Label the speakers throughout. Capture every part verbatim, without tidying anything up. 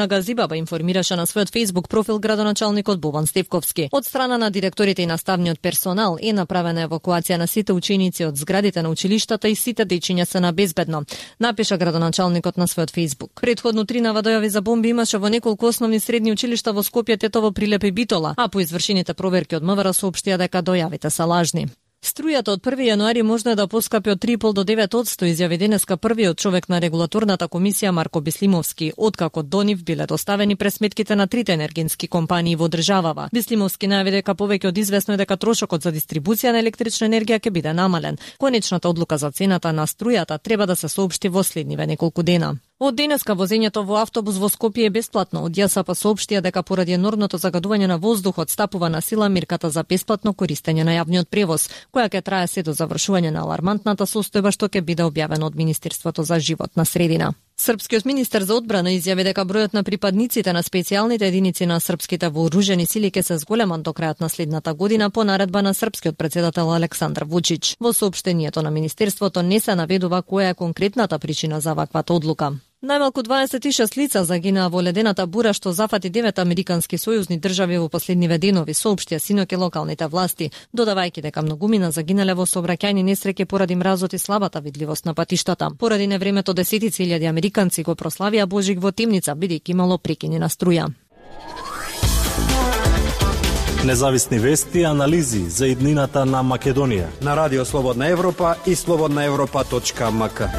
Speaker 1: На Газибаба информираше на својот Facebook профил градоначалникот Бобан Стевковски. Од страна на директорите и наставниот персонал е направена евакуација на сите ученици од зградите на училиштата и сите дечиња се на безбедно, напиша градоначалникот на својот Facebook. Предходно три наводојави за бомби имаше во неколку основни средни училишта во Скопје, Тетово, Прилеп и Битола, а по извршените проверки од МВР соопштија дека дојавите се лажни. Струјата од први јануари може да поскапи од три и пол до девет одсто, изјави денеска првиот човек на регулаторната комисија Марко Бислимовски, откако до нив биле доставени пресметките на трите енергетски компании во државава. Бислимовски најави дека повеќе од известно е дека трошокот за дистрибуција на електрична енергија ќе биде намален. Конечната одлука за цената на струјата треба да се соопшти во следниве неколку дена. Од денеска возењето во автобус во Скопје е бесплатно. Од ЈСАП соопштија дека поради енормното загадување на воздухот стапува на сила мерката за бесплатно користење на јавниот превоз, која ќе трае се до завршување на алармантната состојба што ќе биде објавено од Министерството за животна средина. Српскиот министер за одбрана изјави дека бројот на припадниците на специјалните единици на српските вооружени сили ќе се зголемат до крајот на следната година по наредба на српскиот председател Александар Вучич. Во соопштението на Министерството не се наведува која е конкретната причина за ваквата одлука. Најмалку дваесет и шест лица загинаа во ледената бура што зафати девет американски сојузни држави во последниве денови, соопштија синоќа локалните власти, додавајќи дека многумина загинале во сообраќајни несреќи поради мразот и слабата видливост на патиштата. Поради невремето десетици илјади американци го прославија Божик во темница, бидејќи имало прекини на струја.
Speaker 2: Независни вести и анализи за иднината на Македонија
Speaker 3: на Радио Слободна Европа и слободна европа точка ем ка.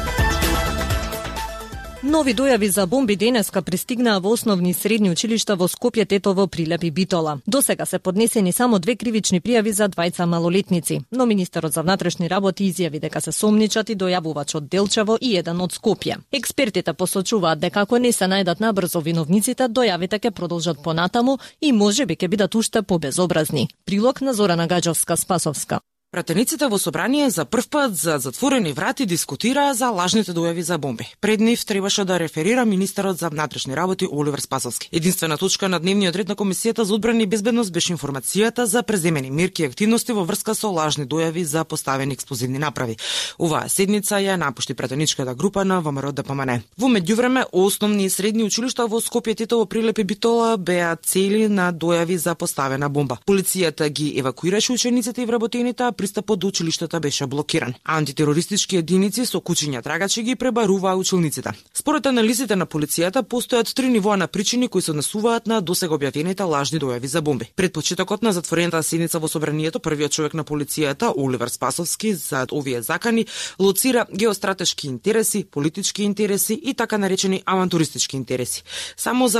Speaker 1: Нови дојави за бомби денеска пристигнаа во основни и средни училишта во Скопје, Тетово, Прилеп и Битола. Досега се поднесени само две кривични пријави за двајца малолетници, но министерот за внатрешни работи изјави дека се сомничат и дојавувач од Делчево и еден од Скопје. Експертите посочуваат дека ако не се најдат набрзо виновниците, дојавите ќе продолжат понатаму и можеби ќе бидат уште побезобразни. Прилог на Зорана Гаџовска-Спасовска.
Speaker 4: Пратениците во собрание за прв пат за затворени врати дискутираа за лажните дојави за бомби. Пред нив требаше да реферира министерот за внатрешни работи Оливер Спасовски. Единствена точка на дневниот ред на Комисијата за одбрана и безбедност беше информацијата за преземени мерки и активности во врска со лажни дојави за поставени експлозивни направи. Оваа седница ја напушти пратеничката група на ВМРО Д П М Н. Во меѓувреме, основни и средни училишта во Скопје, Тетово, Прилеп и Битола беа цели на дојави за поставена бомба. Полицијата ги евакуираше учениците и вработените, пристапот до училиштата беше блокиран. Антитерористички единици со кучиња трагачи ги пребаруваа училниците. Според анализите на полицијата, постојат три нивоа на причини кои се однесуваат на досега објавените лажни дојави за бомби. Пред почетокот на затворената седница во собранието, првиот човек на полицијата, Оливер Спасовски, за овие закани, лоцира геостратешки интереси, политички интереси и така наречени авантуристички интереси. Само за